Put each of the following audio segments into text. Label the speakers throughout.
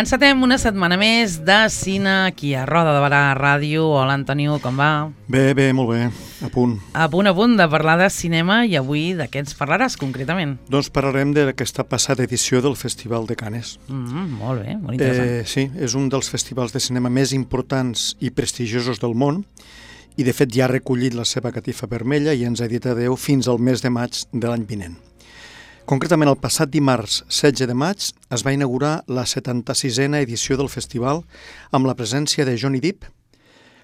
Speaker 1: Encetem una setmana més de cine aquí a Roda de Barà Ràdio. Hola, Antonio, com va?
Speaker 2: Bé, molt bé, a punt.
Speaker 1: A punt de parlar de cinema, i avui de què ens parlaràs concretament?
Speaker 2: Doncs parlarem d'aquesta passada edició del Festival de Cannes.
Speaker 1: Molt bé, molt interessant.
Speaker 2: Sí, és un dels festivals de cinema més importants i prestigiosos del món, i de fet ja ha recollit la seva catifa vermella i ens ha dit adeu fins al mes de maig de l'any vinent. Concretament, el passat dimarts 16 de maig es va inaugurar la 76a edició del festival amb la presència de Johnny Depp,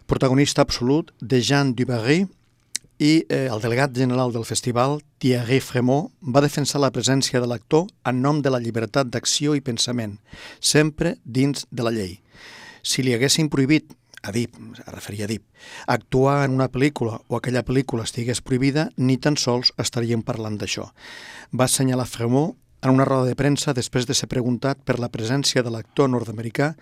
Speaker 2: protagonista absolut, de Jean Dubarry, i el delegat general del festival, Thierry Frémaux, va defensar la presència de l'actor en nom de la llibertat d'acció i pensament, sempre dins de la llei. Si li haguessin prohibit a Depp, es referia a Depp, actuar en una pel·lícula o aquella pel·lícula estigués prohibida, ni tan sols estaríem parlant d'això. Va assenyalar Frémaux en una roda de premsa després de ser preguntat per la presència de l'actor nord-americà,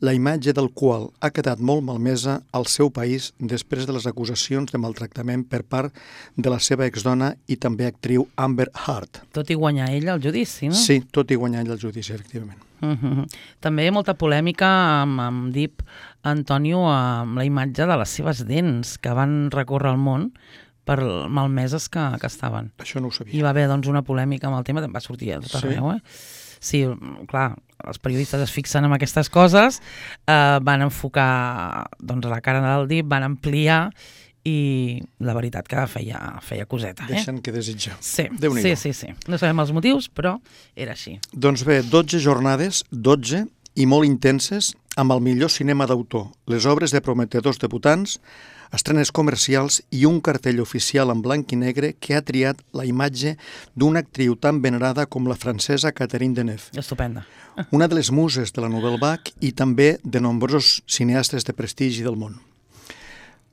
Speaker 2: la imatge del qual ha quedat molt malmesa al seu país després de les acusacions de maltractament per part de la seva exdona i també actriu Amber Heard.
Speaker 1: Tot i guanyar ell el judici, no?
Speaker 2: Sí, tot i guanyar ell el judici, efectivament.
Speaker 1: També molta polèmica amb Depp, Antonio, amb la imatge de les seves dents que van recórrer el món per malmeses que estaven.
Speaker 2: Això no ho sabia.
Speaker 1: I va haver doncs, una polèmica amb el tema, va sortir a tot arreu. Sí, clar, els periodistes es fixen en aquestes coses, van enfocar doncs, la cara del Depp, van ampliar, i la veritat que feia coseta.
Speaker 2: Deixen que desitjar.
Speaker 1: Sí.
Speaker 2: Déu-n'hi-do.
Speaker 1: No sabem els motius, però era així.
Speaker 2: Doncs bé, 12 jornades, 12, i molt intenses, amb el millor cinema d'autor, les obres de prometedors debutants, estrenes comercials i un cartell oficial en blanc i negre que ha triat la imatge d'una actriu tan venerada com la francesa Catherine Deneuve.
Speaker 1: Estupenda.
Speaker 2: Una de les muses de la Nouvelle Vague i també de nombrosos cineastes de prestigi del món.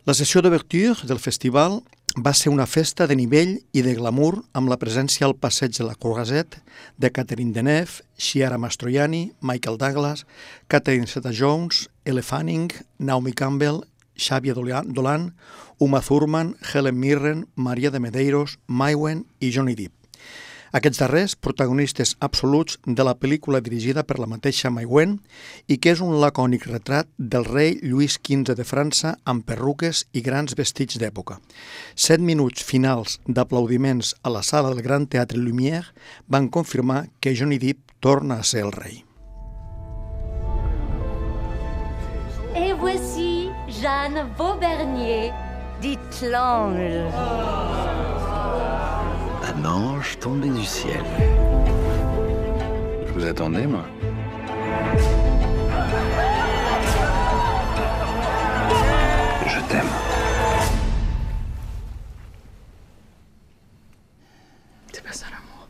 Speaker 2: La sessió d'ouverture del festival va ser una festa de nivell i de glamour amb la presència al passeig de la Croisette de Catherine Deneuve, Chiara Mastroianni, Michael Douglas, Catherine Zeta-Jones, Elle Fanning, Naomi Campbell, Xavier Dolan, Uma Thurman, Helen Mirren, Maria de Medeiros, Mai Wen i Johnny Depp. Aquests darrers, protagonistes absoluts de la pel·lícula dirigida per la mateixa Mai Wen i que és un lacònic retrat del rei Lluís XV de França amb perruques i grans vestits d'època. 7 minuts finals d'aplaudiments a la sala del Gran Teatre Lumière van confirmar que Johnny Depp torna a ser el rei.
Speaker 3: Et voici Jeanne Vaubernier, dit l'ange.
Speaker 4: Un ange tombé du ciel. Je vous attendais, moi. Je t'aime.
Speaker 5: C'est pas ça l'amour.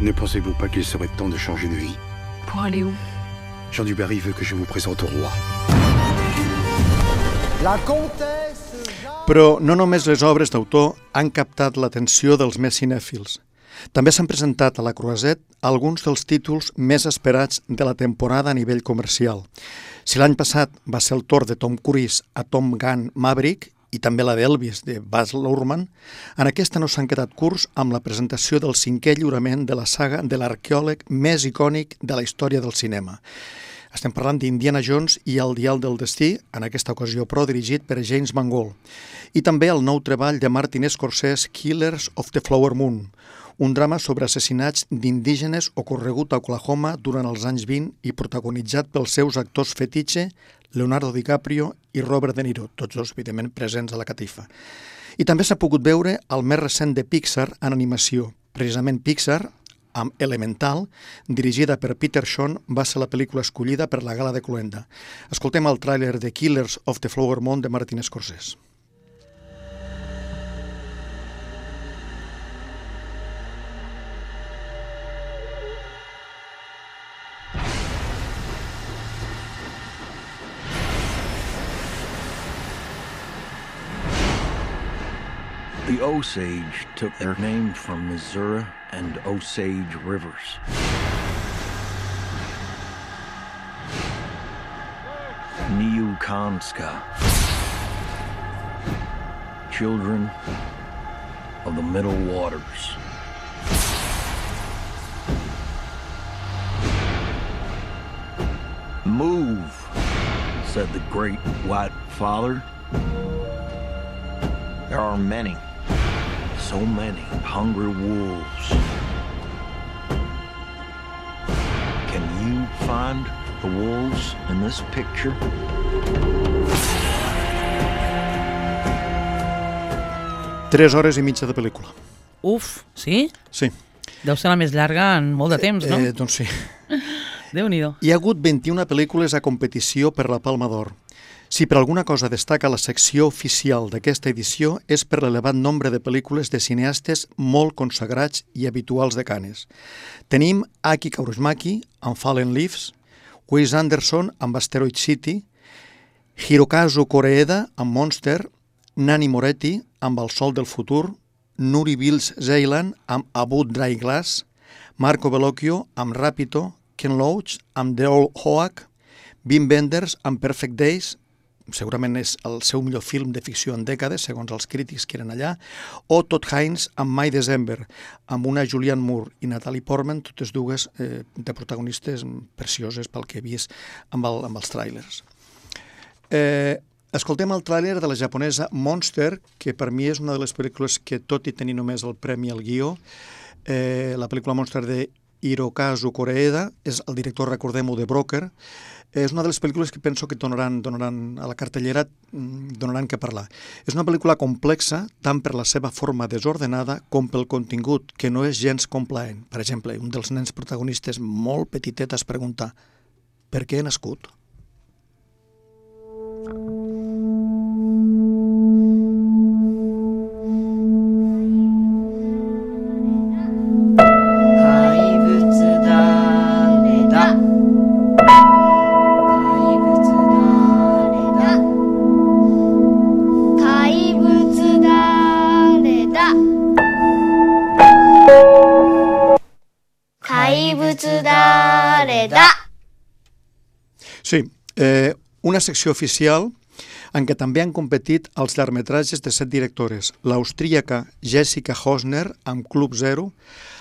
Speaker 4: Ne pensez-vous pas qu'il serait temps de changer de vie?
Speaker 5: Pour aller où?
Speaker 4: Jean Dubarry veut que je vous présente au roi.
Speaker 6: La comtesse...
Speaker 2: Però no només les obres d'autor han captat l'atenció dels més cinèfils. També s'han presentat a la Croisette alguns dels títols més esperats de la temporada a nivell comercial. Si l'any passat va ser el torn de Tom Cruise a Top Gun Maverick i també la d'Elvis de Baz Luhrmann, en aquesta no s'han quedat curts amb la presentació del 5è lliurament de la saga de l'arqueòleg més icònic de la història del cinema. Estem parlant d'Indiana Jones i el Dial del Destí, en aquesta ocasió però dirigit per James Mangold. I també el nou treball de Martin Scorsese, Killers of the Flower Moon, un drama sobre assassinats d'indígenes ocorregut a Oklahoma durant els anys 20 i protagonitzat pels seus actors fetitxe, Leonardo DiCaprio i Robert De Niro, tots dos, evidentment, presents a la catifa. I també s'ha pogut veure el més recent de Pixar en animació. Precisament Pixar, amb Elemental, dirigida per Peter Shawn, va ser la pel·lícula escollida per la Gala de Cloenda. Escoltem el tràiler de Killers of the Flower Moon de Martin Scorsese.
Speaker 7: The Osage took their name from Missouri and Osage rivers. Niukanska, children of the Middle Waters. Move, said the great white father. There are many, so many hungry wolves. Can you find the wolves in this picture?
Speaker 2: Tres hores i mitja de pel·lícula.
Speaker 1: Uf, sí?
Speaker 2: Sí.
Speaker 1: Deu ser la més llarga en molt de temps, no?
Speaker 2: Doncs sí.
Speaker 1: Déu-n'hi-do.
Speaker 2: Hi ha hagut 21 pel·lícules a competició per la Palma d'Or. Si per alguna cosa destaca la secció oficial d'aquesta edició és per l'elevat nombre de pel·lícules de cineastes molt consagrats i habituals de Cannes. Tenim Aki Kaurismäki amb Fallen Leaves, Wes Anderson amb Asteroid City, Hirokazu Koreeda amb Monster, Nanni Moretti amb El sol del futur, Nuri Bilge Ceylan amb Abu Dry Glass, Marco Bellocchio amb Rapido, Ken Loach amb The Old Hoak, Wim Wenders amb Perfect Days, segurament és el seu millor film de ficció en dècades, segons els crítics que eren allà, o Todd Haynes amb My December, amb una Julianne Moore i Natalie Portman, totes dues de protagonistes precioses pel que he vist amb els tràilers. Escoltem el tràiler de la japonesa Monster, que per mi és una de les pel·lícules que, tot i tenir només el premi al guió, la pel·lícula Monster de Hirokazu Koreeda, és el director, recordem-ho, de Broker. És una de les pel·lícules que penso que donaran a la cartellera, donaran que parlar. És una pel·lícula complexa, tant per la seva forma desordenada com pel contingut, que no és gens complaent. Per exemple, un dels nens protagonistes molt petitet es pregunta: per què he nascut? Sí, una secció oficial en què també han competit els llargmetratges de 7 directores, l'austríaca Jessica Hosner amb Club Zero,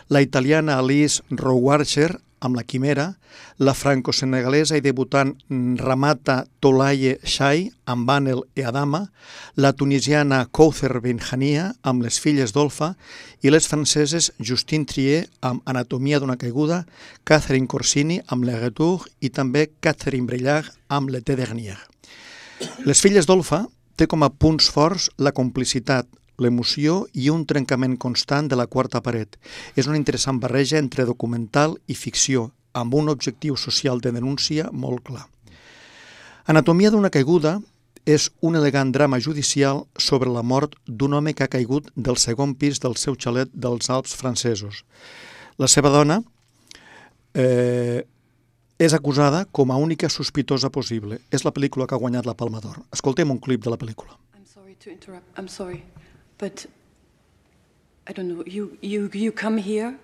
Speaker 2: la italiana Alice Rohrwacher amb La Quimera, la franco-senegalesa i debutant Ramata Toulaye Shai amb Anel e Adama, la tunisiana Kowthar Benhania amb Les filles d'Olfa i les franceses Justine Triet amb Anatomia d'una caiguda, Catherine Corsini amb Le Retour i també Catherine Breillat amb L'été dernier. Les filles d'Olfa té com a punts forts la complicitat, l'emoció i un trencament constant de la quarta paret. És una interessant barreja entre documental i ficció, amb un objectiu social de denúncia molt clar. Anatomia d'una caiguda és un elegant drama judicial sobre la mort d'un home que ha caigut del segon pis del seu xalet dels Alps francesos. La seva dona és acusada com a única sospitosa possible. És la pel·lícula que ha guanyat la Palma d'Or. Escoltem un clip de la pel·lícula.
Speaker 5: I'm sorry to interrupt. I'm sorry. But I don't know, you come here,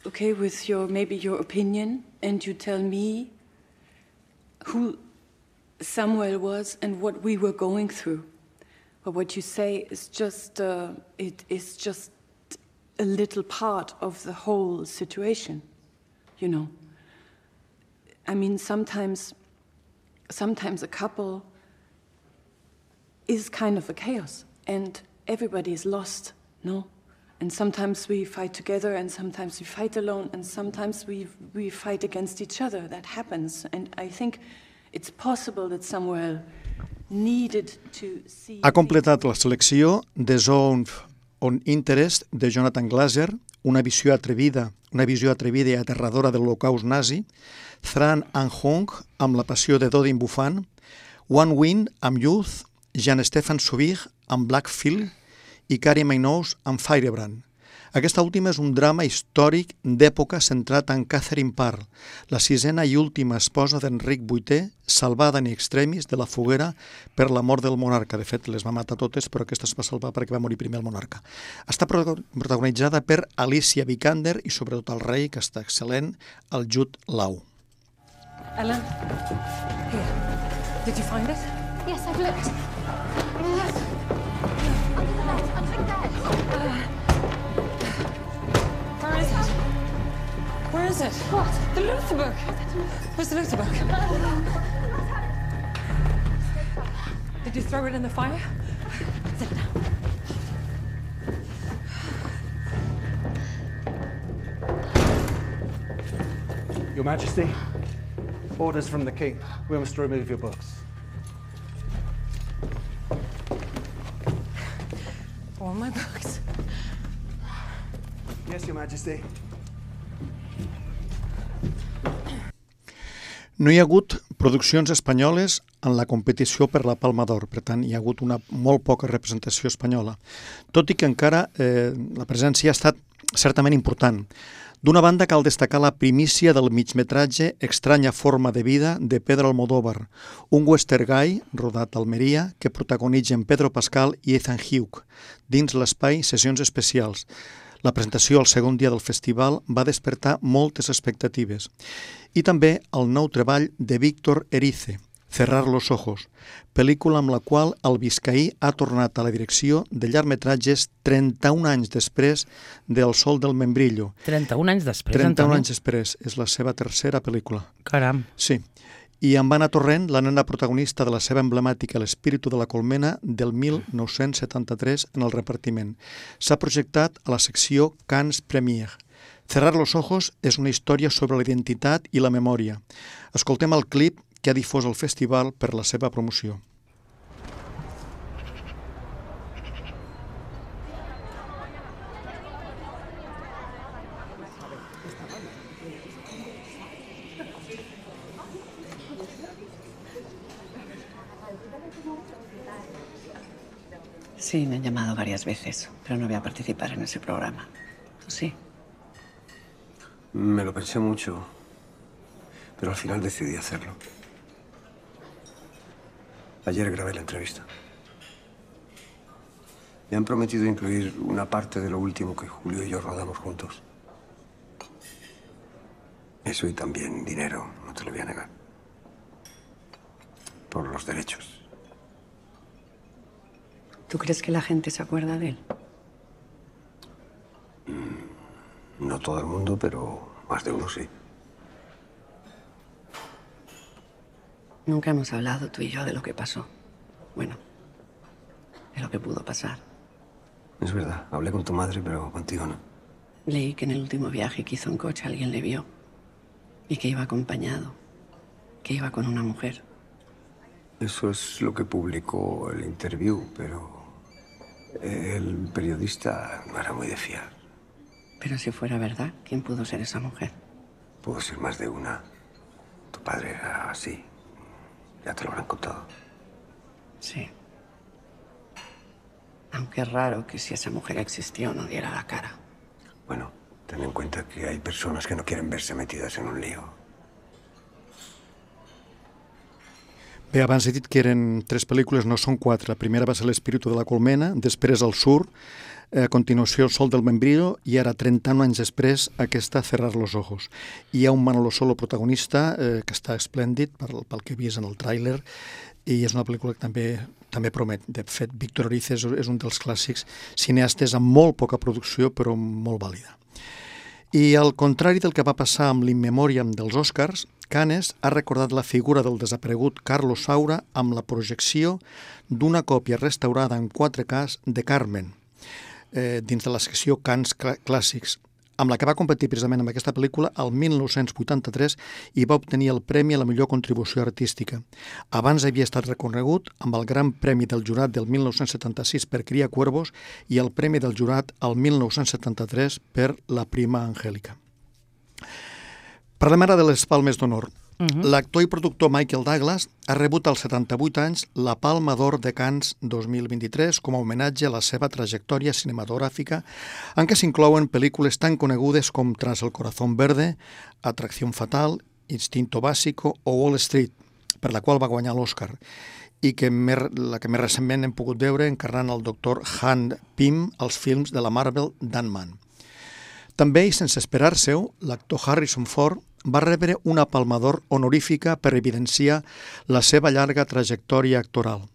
Speaker 5: okay, with maybe your opinion, and you tell me who Samuel was and what we were going through. But what you say is just, it is just a little part of the whole situation, you know. I mean, sometimes a couple is kind of a chaos, and everybody is lost, no? And sometimes we fight together, and sometimes we fight alone, and sometimes we fight against each other. That happens, and I think it's possible that Samuel needed to see...
Speaker 2: Ha completat la selecció The Zone of Interest de Jonathan Glazer, una visió atrevida i aterradora de l'Holocaust nazi, Tran Anh Hong amb La passió de Dodin Buffan, One Wind amb Youth, Jean-Stéphane Sauvig amb Black Phil i Carrie Minogue amb Firebrand. Aquesta última és un drama històric d'època centrat en Catherine Parr, la sisena i última esposa d'Enric VIII, salvada in extremis de la foguera per la mort del monarca. De fet, les va matar totes, però aquesta es va salvar perquè va morir primer el monarca. Està protagonitzada per Alicia Vikander i sobretot el rei, que està excel·lent, el Jude Law.
Speaker 5: Ellen, here. Did you find it?
Speaker 3: Yes, I've looked.
Speaker 5: was it?
Speaker 3: What?
Speaker 5: The Luther book. Where's the Luther book? Did you throw it in the fire?
Speaker 3: Sit down.
Speaker 6: Your Majesty, orders from the King. We must remove your books.
Speaker 5: All my books.
Speaker 6: Yes, Your Majesty.
Speaker 2: No hi ha hagut produccions espanyoles en la competició per la Palma d'Or, per tant, hi ha hagut una molt poca representació espanyola, tot i que encara la presència ha estat certament important. D'una banda, cal destacar la primícia del migmetratge Estranya forma de vida de Pedro Almodóvar, un western guy rodat a Almeria que protagonitzen Pedro Pascal i Ethan Hawke dins l'espai Sessions Especials. La presentació al segon dia del festival va despertar moltes expectatives. I també el nou treball de Víctor Erice, Cerrar los ojos, pel·lícula amb la qual el biscaí ha tornat a la direcció de llargmetratges 31 anys després del Sol del Membrillo.
Speaker 1: 31 anys després,
Speaker 2: 31
Speaker 1: Antoni.
Speaker 2: anys després, és la seva tercera pel·lícula.
Speaker 1: Caram.
Speaker 2: Sí, i amb Anna Torrent, la nena protagonista de la seva emblemàtica L'espíritu de la colmena del 1973 en el repartiment. S'ha projectat a la secció Cannes Premiere. Cerrar los ojos és una història sobre la identitat i la memòria. Escoltem el clip que ha difós el festival per la seva promoció.
Speaker 8: Sí, me han llamado varias veces, pero no voy a participar en ese programa. ¿Tú sí?
Speaker 4: Me lo pensé mucho, pero al final decidí hacerlo. Ayer grabé la entrevista. Me han prometido incluir una parte de lo último que Julio y yo rodamos juntos. Eso y también dinero, no te lo voy a negar. Por los derechos.
Speaker 8: ¿Tú crees que la gente se acuerda de él?
Speaker 4: No todo el mundo, pero más de uno sí.
Speaker 8: Nunca hemos hablado tú y yo de lo que pasó. Bueno, de lo que pudo pasar.
Speaker 4: Es verdad, hablé con tu madre, pero contigo no.
Speaker 8: Leí que en el último viaje que hizo en coche alguien le vio. Y que iba acompañado. Que iba con una mujer.
Speaker 4: Eso es lo que publicó el interview, pero el periodista no era muy de fiar.
Speaker 8: Pero si fuera verdad, ¿quién pudo ser esa mujer?
Speaker 4: Pudo ser más de una. Tu padre era así. Ya te lo habrán contado.
Speaker 8: Sí. Aunque es raro que si esa mujer existió no diera la cara.
Speaker 4: Bueno, ten en cuenta que hay personas que no quieren verse metidas en un lío.
Speaker 2: Bé, abans he dit que eren 3 pel·lícules, no són 4. La primera va ser L'espíritu de la colmena, després El sur, a continuació El sol del membrillo i ara, 31 anys després, aquesta Cerrar los ojos. Hi ha un Manolo Solo protagonista que està esplèndid pel que he vist en el tràiler i és una pel·lícula que també promet. De fet, Víctor Erice és un dels clàssics cineastes amb molt poca producció però molt vàlida. I al contrari del que va passar amb l'In Memoriam dels Oscars, Cannes ha recordat la figura del desaparegut Carlos Saura amb la projecció d'una còpia restaurada en 4K de Carmen, dins de la secció Cannes Clàssics, amb la que va competir precisament amb aquesta pel·lícula el 1983 i va obtenir el Premi a la millor contribució artística. Abans havia estat reconegut amb el Gran Premi del Jurat del 1976 per Cria Cuervos i el Premi del Jurat el 1973 per La Prima Angélica. Parlem ara de les Palmes d'Honor. L'actor i productor Michael Douglas ha rebut als 78 anys la Palma d'Or de Cannes 2023 com a homenatge a la seva trajectòria cinematogràfica en què s'inclouen pel·lícules tan conegudes com Tras el corazón verde, Atracción fatal, Instinto básico o Wall Street, per la qual va guanyar l'Oscar, i la que més recentment hem pogut veure encarnant el doctor Han Pym als films de la Marvel d'Ant-Man. També, i sense esperar-se-ho, l'actor Harrison Ford va rebre una Palma d'Or honorífica per evidenciar la seva llarga trajectòria actoral.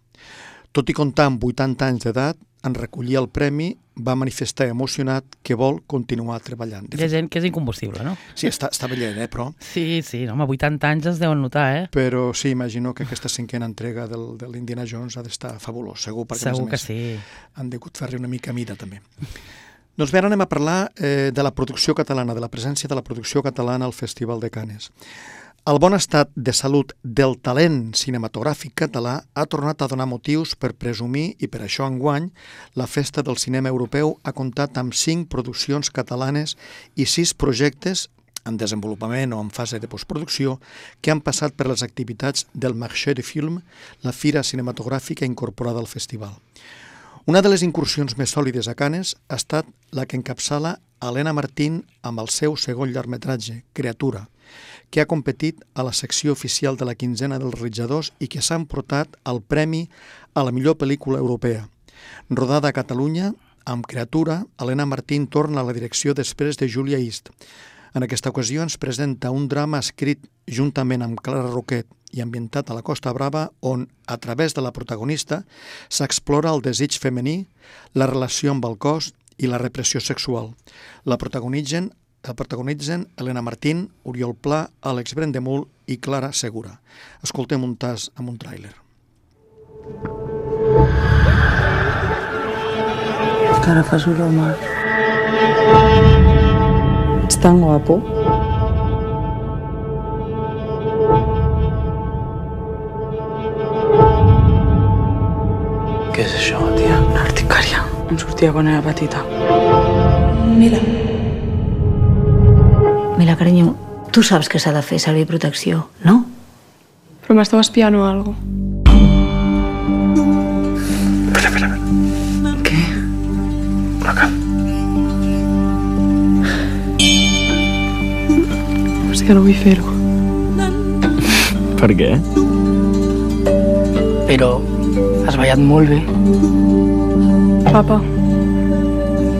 Speaker 2: Tot i comptar amb 80 anys d'edat, en recollir el premi, va manifestar emocionat que vol continuar treballant.
Speaker 1: Hi ha gent que és incombustible, no?
Speaker 2: Sí, està veient, però...
Speaker 1: Sí, no, home, 80 anys es deuen notar,
Speaker 2: Però sí, imagino que aquesta cinquena entrega de l'Indiana Jones ha d'estar fabulós, segur, perquè
Speaker 1: segur
Speaker 2: a més
Speaker 1: que sí.
Speaker 2: Han degut fer-li una mica mida, també. Doncs bé, ara anem a parlar de la producció catalana, de la presència de la producció catalana al Festival de Canes. El bon estat de salut del talent cinematogràfic català ha tornat a donar motius per presumir i per això enguany la Festa del Cinema Europeu ha comptat amb 5 produccions catalanes i 6 projectes en desenvolupament o en fase de postproducció que han passat per les activitats del Marché du Film, la fira cinematogràfica incorporada al festival. Una de les incursions més sòlides a Canes ha estat la que encapçala Helena Martín amb el seu segon llargmetratge, Creatura, que ha competit a la secció oficial de la quinzena dels realitzadors i que s'ha emportat el premi a la millor pel·lícula europea. Rodada a Catalunya, amb Creatura, Helena Martín torna a la direcció després de Julia East. En aquesta ocasió ens presenta un drama escrit juntament amb Clara Roquet i ambientat a la Costa Brava, on, a través de la protagonista, s'explora el desig femení, la relació amb el cos i la repressió sexual. La protagonitzen Helena Martín, Oriol Pla, Àlex Brendemul i Clara Segura. Escoltem un tas amb un tràiler.
Speaker 9: Que ara fas olor mal. Ets tan guapo.
Speaker 10: Què és això, tia?
Speaker 9: Una urticària. Em sortia quan era petita.
Speaker 11: Mira, carinyo, tu saps que s'ha de fer servir protecció, no?
Speaker 5: Però m'esteu espiant o algo?
Speaker 10: Espera.
Speaker 9: Què?
Speaker 10: Una cal.
Speaker 5: És que no vull fer-ho.
Speaker 10: Per què?
Speaker 9: Però has ballat molt bé.
Speaker 5: Papa,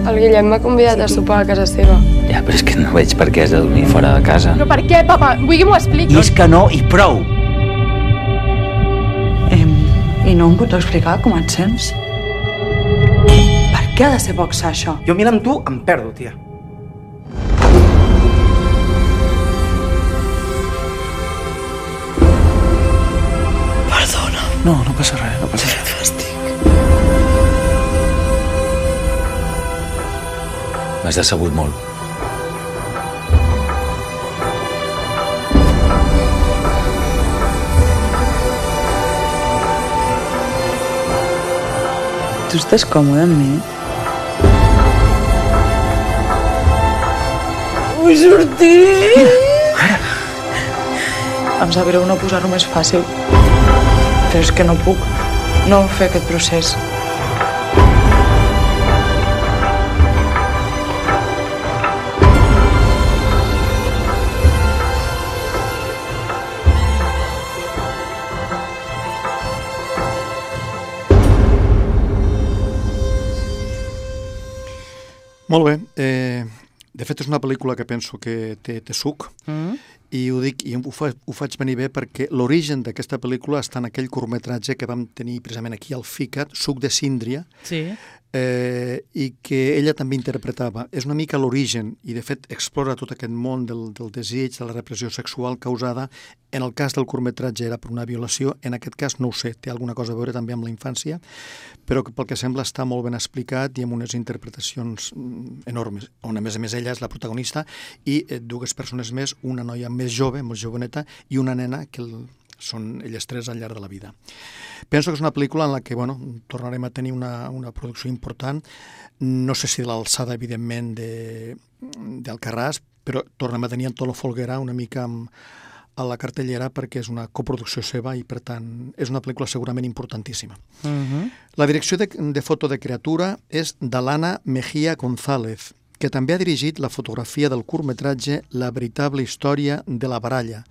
Speaker 5: el Guillem m'ha convidat a sopar a casa seva.
Speaker 10: Ja, però és que no veig per què has de dormir fora de casa.
Speaker 5: Però per què, papa? Vull que m'ho expliqui.
Speaker 10: I és que no, i prou!
Speaker 9: I no em pots explicar com et sents? Per què ha de ser boxa, això?
Speaker 6: Jo mira amb tu em perdo, tia.
Speaker 9: Perdona.
Speaker 10: No passa res, no passa res.
Speaker 9: Fàstic.
Speaker 10: M'has decebut molt.
Speaker 9: Tu estàs còmode amb mi? Vull sortir! Em sap greu no posar-ho més fàcil, però és que no puc no fer aquest procés.
Speaker 2: Molt bé. De fet, és una pel·lícula que penso que té suc, i ho dic, i ho faig venir bé perquè l'origen d'aquesta pel·lícula està en aquell curtmetratge que vam tenir precisament aquí al FICAT, Suc de Síndria,
Speaker 1: Sí.
Speaker 2: I que ella també interpretava. És una mica l'origen, i de fet explora tot aquest món del desig, de la repressió sexual causada. En el cas del curtmetratge era per una violació, en aquest cas no ho sé, té alguna cosa a veure també amb la infància, però que pel que sembla està molt ben explicat i amb unes interpretacions enormes, on a més ella és la protagonista i dues persones més, una noia més jove, molt joveneta, i una nena que són elles tres al llarg de la vida. Penso que és una pel·lícula en la que tornarem a tenir una producció important, no sé si de l'alçada, evidentment, d'Alcarràs, però tornem a tenir Antonio Folguera una mica a la cartellera perquè és una coproducció seva i, per tant, és una pel·lícula segurament importantíssima. La direcció de foto de Creatura és d'Alana Mejía González, que també ha dirigit la fotografia del curtmetratge La veritable història de la baralla,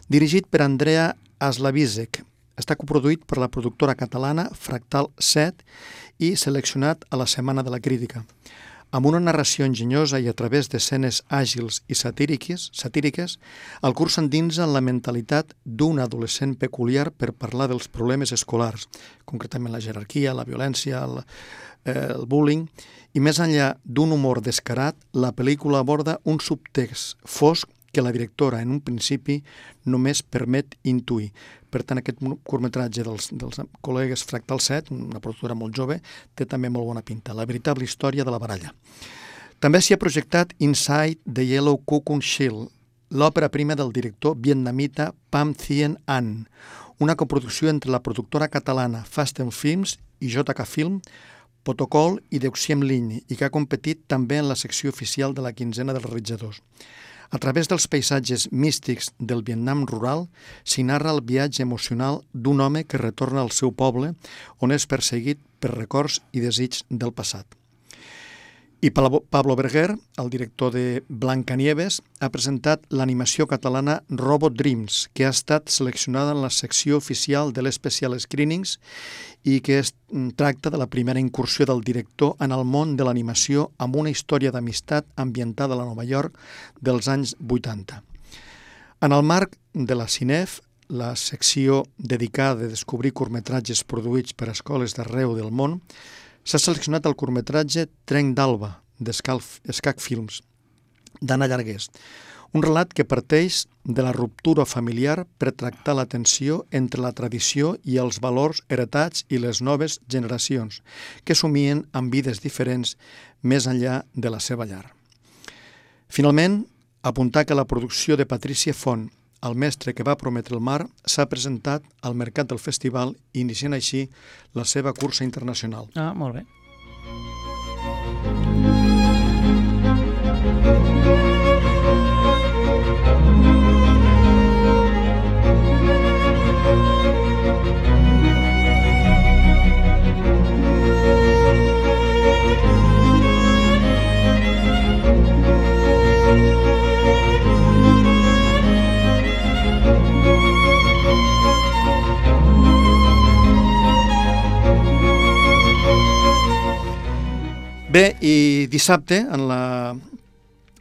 Speaker 2: dirigit per Andrea Aslavizek. Està coproduït per la productora catalana Fractal 7 i seleccionat a la Setmana de la Crítica. Amb una narració enginyosa i a través d'escenes àgils i satíriques, el curs s'endinsa en la mentalitat d'un adolescent peculiar per parlar dels problemes escolars, concretament la jerarquia, la violència, el bullying, i més enllà d'un humor descarat, la pel·lícula aborda un subtext fosc que la directora, en un principi, només permet intuir. Per tant, aquest curtmetratge dels col·legues Fractal 7, una productora molt jove, té també molt bona pinta. La veritable història de la baralla. També s'hi ha projectat Inside the Yellow Cocoon Shell, l'òpera prima del director vietnamita Pham Thien An, una coproducció entre la productora catalana Fasten Films i JK Film, Protocol i Deuxiem Ligne, i que ha competit també en la secció oficial de la quinzena dels realitzadors. A través dels paisatges místics del Vietnam rural, s'hi narra el viatge emocional d'un home que retorna al seu poble, on és perseguit per records i desigs del passat. I Pablo Berguer, el director de Blancanieves, ha presentat l'animació catalana Robot Dreams, que ha estat seleccionada en la secció oficial de l'Especial Screenings i que tracta de la primera incursió del director en el món de l'animació amb una història d'amistat ambientada a la Nova York dels anys 80. En el marc de la Cinef, la secció dedicada a descobrir curtmetratges produïts per escoles d'arreu del món, s'ha seleccionat el curtmetratge Trenc d'Alba, d'Escac Films, d'Anna Llargués, un relat que parteix de la ruptura familiar per tractar la tensió entre la tradició i els valors heretats i les noves generacions, que somien amb vides diferents més enllà de la seva llar. Finalment, apuntar que la producció de Patrícia Font, El mestre que va prometre el mar, s'ha presentat al mercat del festival, iniciant així la seva cursa internacional.
Speaker 1: Ah, molt bé.
Speaker 2: Bé, i dissabte, en la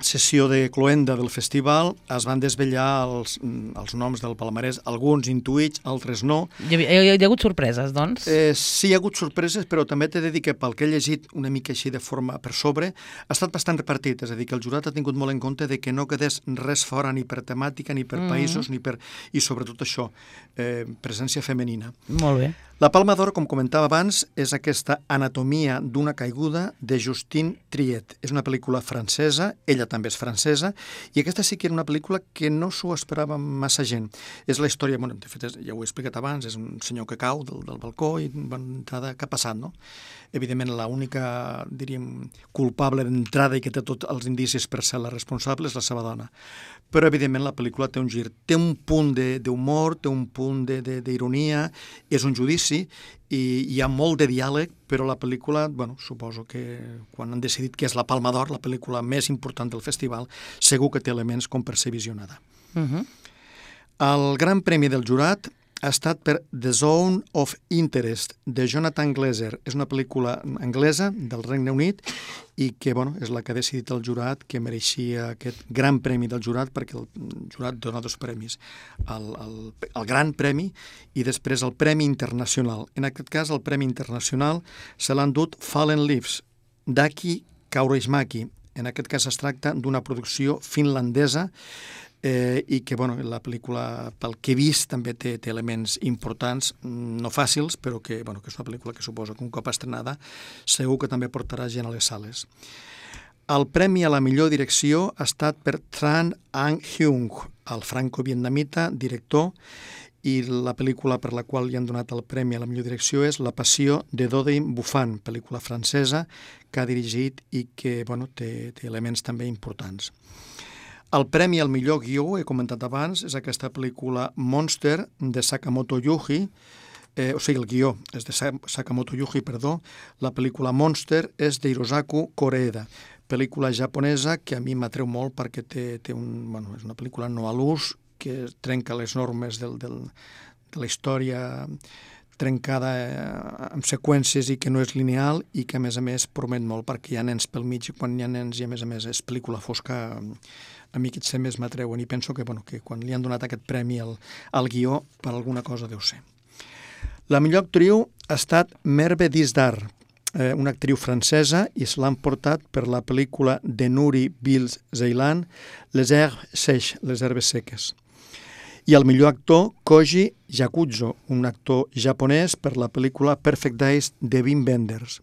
Speaker 2: sessió de cloenda del festival, es van desvetllar els noms del palmarès, alguns intuïts, altres no.
Speaker 1: Hi ha hagut sorpreses, doncs?
Speaker 2: Sí, hi ha hagut sorpreses, però també t'he de dir que pel que he llegit una mica així de forma per sobre, ha estat bastant repartit, és a dir, que el jurat ha tingut molt en compte de que no quedés res fora ni per temàtica, ni per països, i sobretot això, presència femenina.
Speaker 1: Molt bé.
Speaker 2: La Palma d'Or, com comentava abans, és aquesta Anatomia d'una caiguda de Justine Triet. És una pel·lícula francesa, ella també és francesa, i aquesta sí que era una pel·lícula que no s'ho esperava massa gent. És la història, bueno, de fet, ja ho he explicat abans, és un senyor que cau del balcó i d'entrada, què ha passat, no? Evidentment, l'única, diríem, culpable d'entrada i que té tots els indicis per ser la responsable és la seva dona. Però, evidentment, la pel·lícula té un gir, té un punt d'humor, té un punt d'ironia, és un judici i hi ha molt de diàleg, però la pel·lícula, bueno, suposo que quan han decidit que és la Palma d'Or, la pel·lícula més important del festival, segur que té elements com per ser visionada. El Gran Premi del Jurat ha estat per The Zone of Interest, de Jonathan Glazer. És una pel·lícula anglesa del Regne Unit i que, bueno, és la que ha decidit el jurat que mereixia aquest Gran Premi del Jurat, perquè el jurat dona dos premis, el Gran Premi i després el Premi Internacional. En aquest cas, el Premi Internacional se l'han dut Fallen Leaves, d'Aki Kaurismäki. En aquest cas es tracta d'una producció finlandesa i que, bueno, la pel·lícula, pel que he vist, també té elements importants, no fàcils, però que, bueno, que és una pel·lícula que suposo que un cop estrenada segur que també portarà gent a les sales. El premi a la millor direcció ha estat per Tran Anh Hyung, el franco-vietnamita director, i la pel·lícula per la qual li han donat el premi a la millor direcció és La passió de Dodin Buffan, pel·lícula francesa que ha dirigit i que, bueno, té elements també importants. El premi al millor guió, he comentat abans, és aquesta pel·lícula Monster de Sakamoto Yuji, el guió és de Sakamoto Yuji, la pel·lícula Monster és d'Hirosaku Koreeda, pel·lícula japonesa que a mi m'atreu molt perquè és una pel·lícula no a l'ús, que trenca les normes de la història trencada amb seqüències i que no és lineal i que a més promet molt perquè hi ha nens pel mig i quan hi ha nens i a més és pel·lícula fosca, a mi aquests temes m'atreuen i penso que quan li han donat aquest premi al guió per alguna cosa deu ser. La millor actriu ha estat Merve Dizdar, una actriu francesa, i se l'han portat per la pel·lícula de Nuri Bilge Ceylan, Les herbes sèches, les herbes seques. I el millor actor, Koji Yakuzo, un actor japonès, per la pel·lícula Perfect Days de Wim Wenders.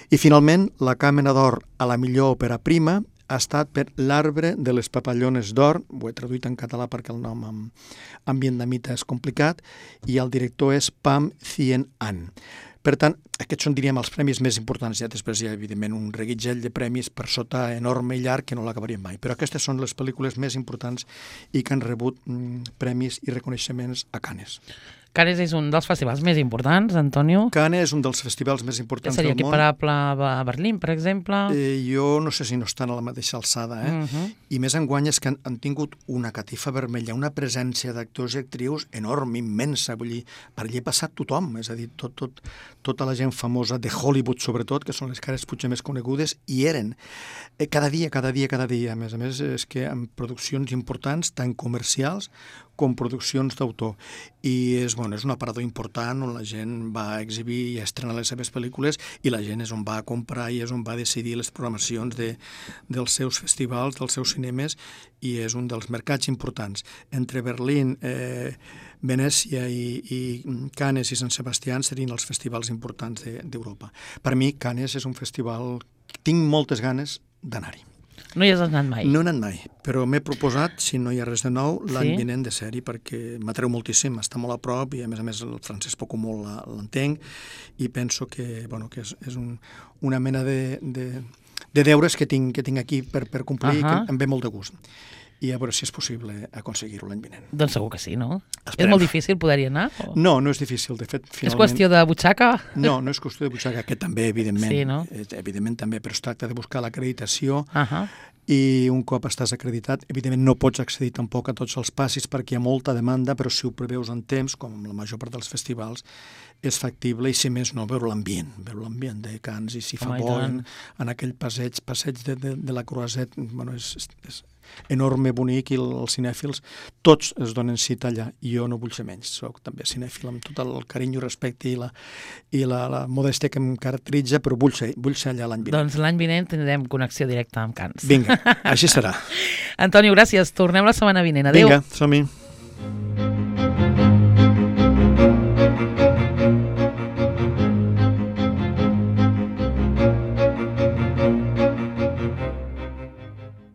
Speaker 2: I finalment, la Càmera d'Or a la millor òpera prima ha estat per L'arbre de les papallones d'or, ho he traduït en català perquè el nom en vietnamita és complicat, i el director és Pham Thien An. Per tant, aquests són, diríem, els premis més importants. Ja després hi ha, evidentment, un reguitzell de premis per sota enorme i llarg que no l'acabaríem mai. Però aquestes són les pel·lícules més importants i que han rebut premis i reconeixements a Cannes.
Speaker 1: Cannes és un dels festivals més importants, Antonio.
Speaker 2: Cannes és un dels festivals més importants del món.
Speaker 1: Seria equiparable a Berlín, per exemple?
Speaker 2: Jo no sé si no estan a la mateixa alçada, I més enguany és que han tingut una catifa vermella, una presència d'actors i actrius enorme, immensa, vull dir, per allà ha passat tothom, és a dir, tota la gent famosa de Hollywood, sobretot, que són les cares potser més conegudes, i eren cada dia. A més, és que amb produccions importants, tant comercials com produccions d'autor. I és un aparador important on la gent va exhibir i estrenar les seves pel·lícules i la gent és on va comprar i és on va decidir les programacions dels seus festivals, dels seus cinemes, i és un dels mercats importants. Entre Berlín, Venècia i Cannes i Sant Sebastià serien els festivals importants d'Europa. Per mi, Cannes és un festival que tinc moltes ganes d'anar-hi.
Speaker 1: No hi has anat mai?
Speaker 2: No he anat mai, però m'he proposat, si no hi ha res de nou, l'any vinent de ser-hi, perquè m'atreu moltíssim, està molt a prop i a més el francès poc o molt l'entenc i penso que és una mena de deures que tinc aquí per complir i que em ve molt de gust. I a veure si és possible aconseguir-ho l'any vinent.
Speaker 1: Doncs segur que sí, no? Esperem. És molt difícil poder-hi anar? O?
Speaker 2: No és difícil, de fet, finalment...
Speaker 1: És qüestió de butxaca?
Speaker 2: No és qüestió de butxaca, que també, evidentment.
Speaker 1: Sí, no?
Speaker 2: Evidentment també, però es tracta de buscar l'acreditació i un cop estàs acreditat, evidentment no pots accedir tampoc a tots els passis perquè hi ha molta demanda, però si ho preveus en temps, com la major part dels festivals, és factible i, si més no, veure l'ambient de Cannes i si fa bo en aquell passeig de la Croisette, és enorme, bonic, i els cinèfils tots es donen cita allà, i jo no vull ser menys, soc també cinèfil amb tot el carinyo, respecte i la modèstia que em caracteritza, però vull ser allà l'any vinent.
Speaker 1: Doncs l'any vinent tindrem connexió directa amb Cannes.
Speaker 2: Vinga, així serà.
Speaker 1: Antonio, gràcies, tornem la setmana vinent, adéu.
Speaker 2: Vinga, som-hi.